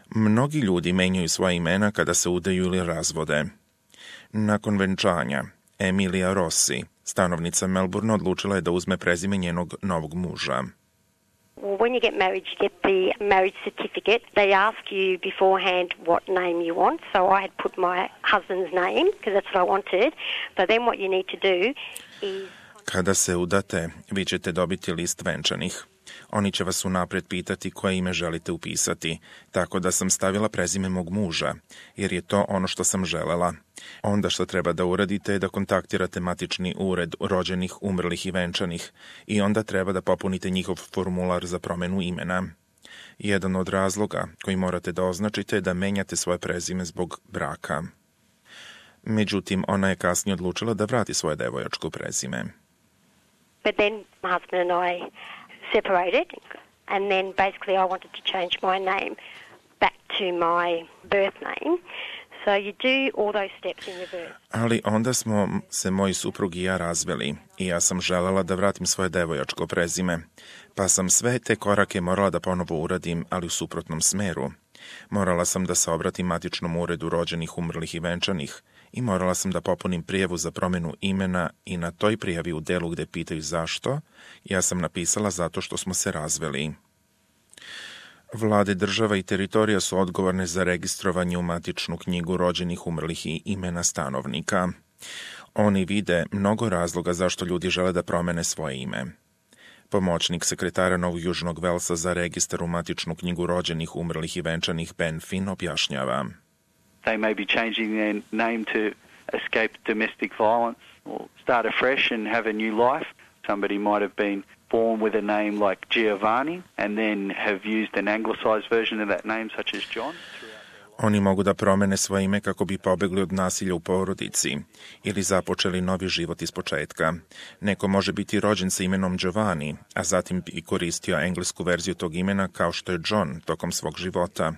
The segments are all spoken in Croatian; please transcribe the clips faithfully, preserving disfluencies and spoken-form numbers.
Mnogi ljudi menjaju svoja imena kada se udaju ili razvode. Nakon venčanja, Emilia Rossi, stanovnica Melbourne, odlučila je da uzme prezime njenog novog muža. Well, when you get married, you get the marriage certificate. They ask you beforehand what name you want. So I had put my husband's name because that's what I wanted. But then what you need to do is... Kada se udate, vi ćete dobiti list venčanih. Oni će vas unaprijed pitati koje ime želite upisati, tako da sam stavila prezime mog muža, jer je to ono što sam želela. Onda što treba da uradite je da kontaktirate matični ured rođenih, umrlih i venčanih i onda treba da popunite njihov formular za promenu imena. Jedan od razloga koji morate da označite je da menjate svoje prezime zbog braka. Međutim, ona je kasnije odlučila da vrati svoje devojačko prezime. But then my husband and I separated, and then basically I wanted to change my name back to my birth name. So you do all those steps in reverse. Ali onda smo se moj suprug i ja razveli i ja sam želela da vratim svoje devojačko prezime, pa sam sve te korake morala da ponovo uradim, ali u suprotnom smeru. Morala sam da se obratim matičnom uredu rođenih, umrlih i venčanih i morala sam da popunim prijavu za promjenu imena i na toj prijavi u delu gde pitaju zašto, ja sam napisala zato što smo se razveli. Vlade država i teritorija su odgovorne za registrovanje u matičnu knjigu rođenih, umrlih i imena stanovnika. Oni vide mnogo razloga zašto ljudi žele da promene svoje ime. Pomoćnik sekretara Novog Južnog Velsa za registar u matičnu knjigu rođenih, umrlih i venčanih Ben Finn objašnjava. They may be changing their name to escape domestic violence or start afresh and have a new life. Somebody might have been born with a name like Giovanni and then have used an anglicized version of that name such as John. Oni mogu da promene svoje ime kako bi pobegli od nasilja u porodici ili započeli novi život iz početka. Neko može biti rođen sa imenom Giovanni, a zatim i koristio englesku verziju tog imena kao što je John tokom svog života.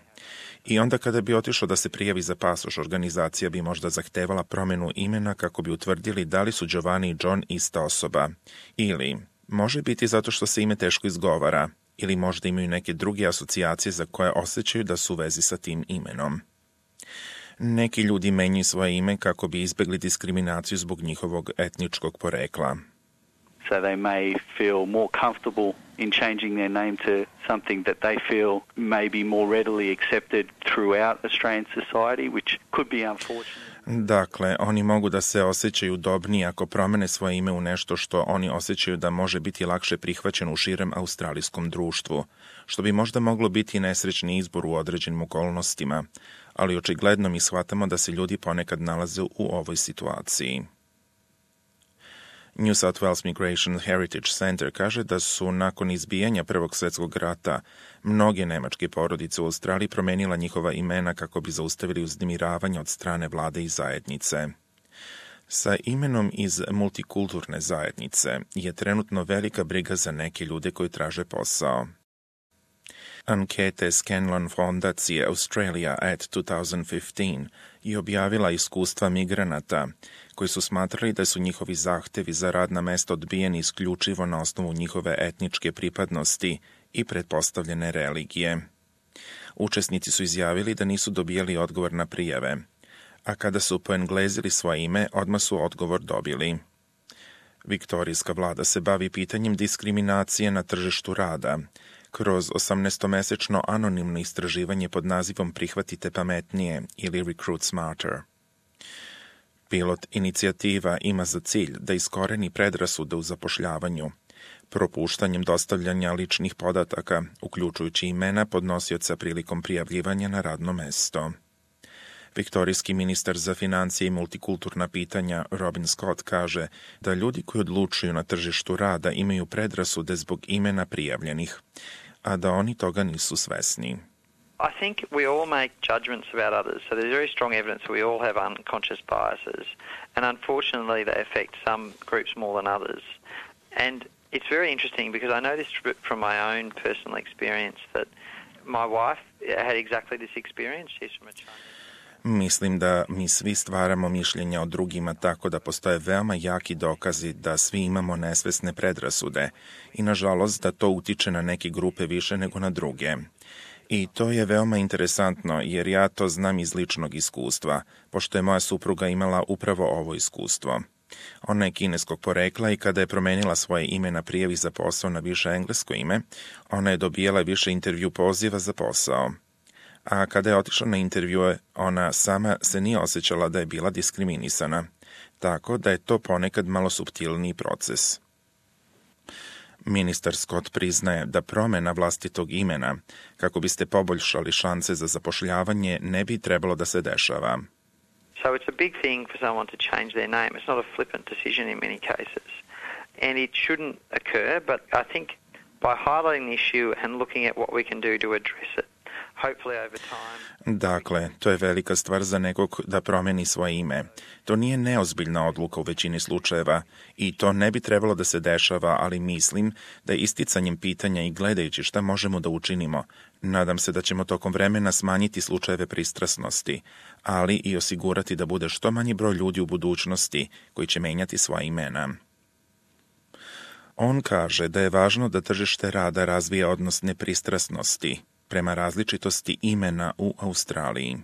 I onda kada bi otišao da se prijavi za pasoš, organizacija bi možda zahtevala promenu imena kako bi utvrdili da li su Giovanni i John ista osoba. Ili može biti zato što se ime teško izgovara, ili možda imaju neke druge asocijacije za koje osjećaju da su u vezi sa tim imenom. Neki ljudi menjaju svoje ime kako bi izbegli diskriminaciju zbog njihovog etničkog porekla. So they may feel more comfortable in changing their name to something that they feel may be more readily accepted throughout Australian society, which could be unfortunate. Dakle, oni mogu da se osjećaju udobniji ako promene svoje ime u nešto što oni osjećaju da može biti lakše prihvaćeno u širem australijskom društvu, što bi možda moglo biti nesrećni izbor u određenim okolnostima, ali očigledno mi shvatamo da se ljudi ponekad nalaze u ovoj situaciji. New South Wales Migration Heritage Center kaže da su nakon izbijanja Prvog svjetskog rata mnoge nemačke porodice u Australiji promenila njihova imena kako bi zaustavili uznemiravanje od strane vlade i zajednice. Sa imenom iz multikulturne zajednice je trenutno velika briga za neke ljude koji traže posao. Ankete Scanlon fondacije Australia at twenty fifteen je objavila iskustva migranata koji su smatrali da su njihovi zahtevi za radna mesta odbijeni isključivo na osnovu njihove etničke pripadnosti i pretpostavljene religije. Učesnici su izjavili da nisu dobijali odgovor na prijave, a kada su poenglezili svoje ime, odmah su odgovor dobili. Viktorijska vlada se bavi pitanjem diskriminacije na tržištu rada kroz osamnaestomesečno anonimno istraživanje pod nazivom Prihvatite pametnije ili Recruit Smarter. Pilot inicijativa ima za cilj da iskoreni predrasude u zapošljavanju, propuštanjem dostavljanja ličnih podataka, uključujući imena podnosioca prilikom prijavljivanja na radno mesto. Viktorijski ministar za financije i multikulturna pitanja Robin Scott kaže da ljudi koji odlučuju na tržištu rada imaju predrasude zbog imena prijavljenih, a da oni toga nisu svesni. I think we all make judgments about others, so there's very strong evidence that we all have unconscious biases, and unfortunately they affect some groups more than others. And it's very interesting because I noticed from my own personal experience that my wife had exactly this experience. She's from a Chinese. Mislim da mi svi stvaramo mišljenja o drugima tako da postoje veoma jaki dokazi da svi imamo nesvesne predrasude i nažalost da to utiče na neke grupe više nego na druge. I to je veoma interesantno, jer ja to znam iz ličnog iskustva, pošto je moja supruga imala upravo ovo iskustvo. Ona je kineskog porekla i kada je promenila svoje ime na prijavi za posao na više englesko ime, ona je dobijala više intervju poziva za posao. A kada je otišla na intervjue, ona sama se nije osjećala da je bila diskriminisana, tako da je to ponekad malo suptilniji proces. Ministar Scott priznaje da promjena vlastitog imena, kako biste poboljšali šanse za zapošljavanje, ne bi trebalo da se dešava. So it's a big thing for someone to change their name. It's not a flippant decision in many cases. And it shouldn't occur, but I think by highlighting the issue and looking at what we can do to address it, hopefully over time... Dakle, to je velika stvar za nekog da promeni svoje ime. To nije neozbiljna odluka u većini slučajeva i to ne bi trebalo da se dešava, ali mislim da je isticanjem pitanja i gledajući šta možemo da učinimo, nadam se da ćemo tokom vremena smanjiti slučajeve pristrasnosti, ali i osigurati da bude što manji broj ljudi u budućnosti koji će menjati svoja imena. On kaže da je važno da tržište rada razvija odnos nepristrasnosti prema različitosti imena u Australiji.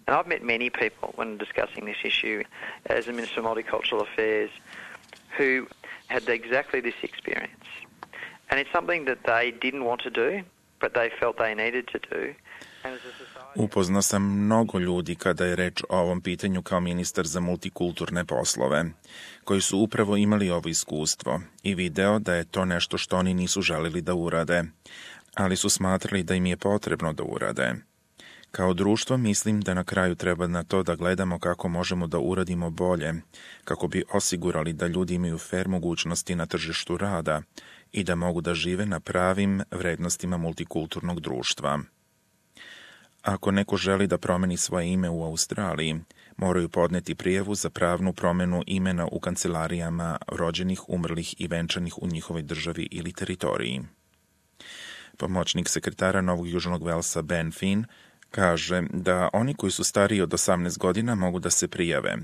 And I've met many people when discussing this issue as a Minister of Multicultural Affairs who had exactly this experience. And it's something that they didn't want to do, but they felt they needed to do. Upoznao sam mnogo ljudi kada je reč o ovom pitanju kao ministar za multikulturne poslove, koji su upravo imali ovo iskustvo i video da je to nešto što oni nisu želeli da urade, ali su smatrali da im je potrebno da urade. Kao društvo mislim da na kraju treba na to da gledamo kako možemo da uradimo bolje, kako bi osigurali da ljudi imaju fer mogućnosti na tržištu rada i da mogu da žive na pravim vrednostima multikulturnog društva. Ako neko želi da promeni svoje ime u Australiji, moraju podneti prijavu za pravnu promenu imena u kancelarijama rođenih, umrlih i venčanih u njihovoj državi ili teritoriji. Pomoćnik sekretara Novog Južnog Velsa Ben Finn kaže da oni koji su stariji od osamnaest godina mogu da se prijave,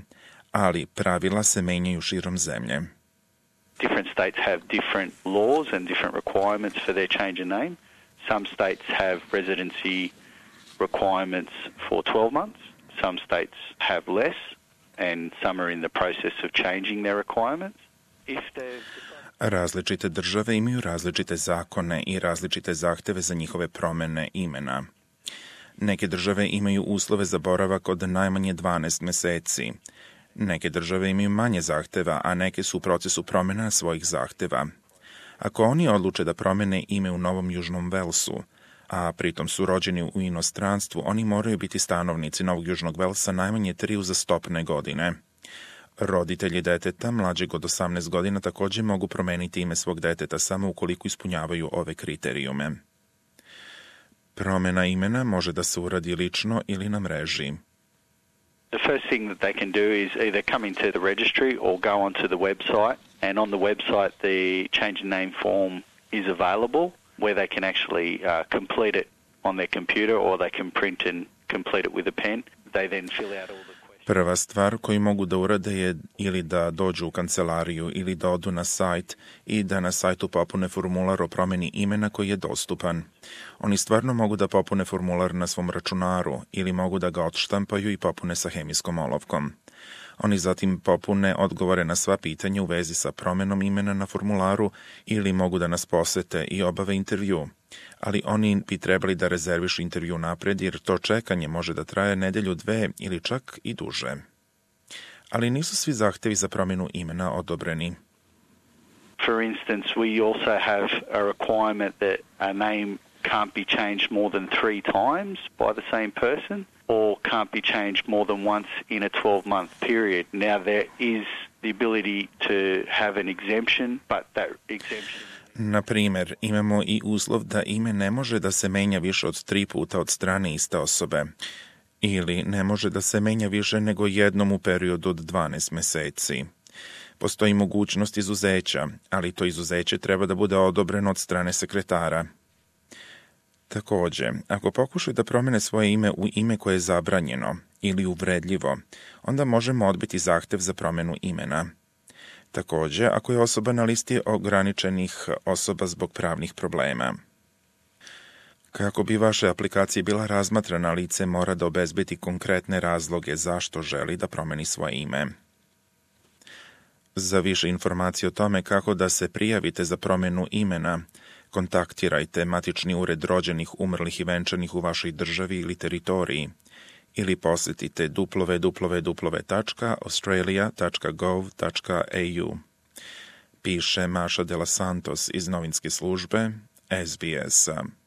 ali pravila se menjaju širom zemlje. Different states have different laws and different requirements for their change of name. Some states have residency requirements for twelve months. Some states have less, and some are in the process of changing their requirements. If Različite države imaju različite zakone i različite zahteve za njihove promene imena. Neke države imaju uslove za boravak od najmanje dvanaest meseci. Neke države imaju manje zahteva, a neke su u procesu promjena svojih zahteva. Ako oni odluče da promene ime u Novom Južnom Velsu, a pritom su rođeni u inostranstvu, oni moraju biti stanovnici Novog Južnog Velsa najmanje tri uzastopne godine. Roditelji deteta mlađeg od osamnaest godina također mogu promeniti ime svog deteta samo ukoliko ispunjavaju ove kriterijume. Promjena imena može da se uradi lično ili na mreži. The first thing that they can do is either come into the registry or go onto the website, and on the website the change of name form is available where they can actually uh, complete it on their computer or they can print and complete it with a pen. They then fill out all the Prva stvar koju mogu da urade je ili da dođu u kancelariju ili da odu na sajt i da na sajtu popune formular o promjeni imena koji je dostupan. Oni stvarno mogu da popune formular na svom računaru ili mogu da ga odštampaju i popune sa hemijskom olovkom. Oni zatim popune odgovore na sva pitanja u vezi sa promjenom imena na formularu ili mogu da nas posete i obave intervju. Ali oni bi trebali da rezervišu intervju napred jer to čekanje može da traje nedelju, dve ili čak i duže. Ali nisu svi zahtevi za promjenu imena odobreni. For instance, we also have a requirement that a name can't be changed more than three times by the same person or can't be changed more than once in a twelve-month period. Now, there is the ability to have an exemption, but that exemption... Na primjer, imamo i uslov da ime ne može da se menja više od tri puta od strane iste osobe ili ne može da se menja više nego jednom u periodu od dvanaest meseci. Postoji mogućnost izuzeća, ali to izuzeće treba da bude odobreno od strane sekretara. Također, ako pokušaju da promene svoje ime u ime koje je zabranjeno ili uvredljivo, onda možemo odbiti zahtev za promjenu imena. Također, ako je osoba na listi ograničenih osoba zbog pravnih problema. Kako bi vaše aplikacije bila razmatrana, lice mora da obezbedi konkretne razloge zašto želi da promeni svoje ime. Za više informacije o tome kako da se prijavite za promjenu imena, kontaktirajte matični ured rođenih, umrlih i venčanih u vašoj državi ili teritoriji ili posjetite w w w tačka australia tačka gov tačka a u. Piše Maša de los Santos iz novinske službe S B S-a.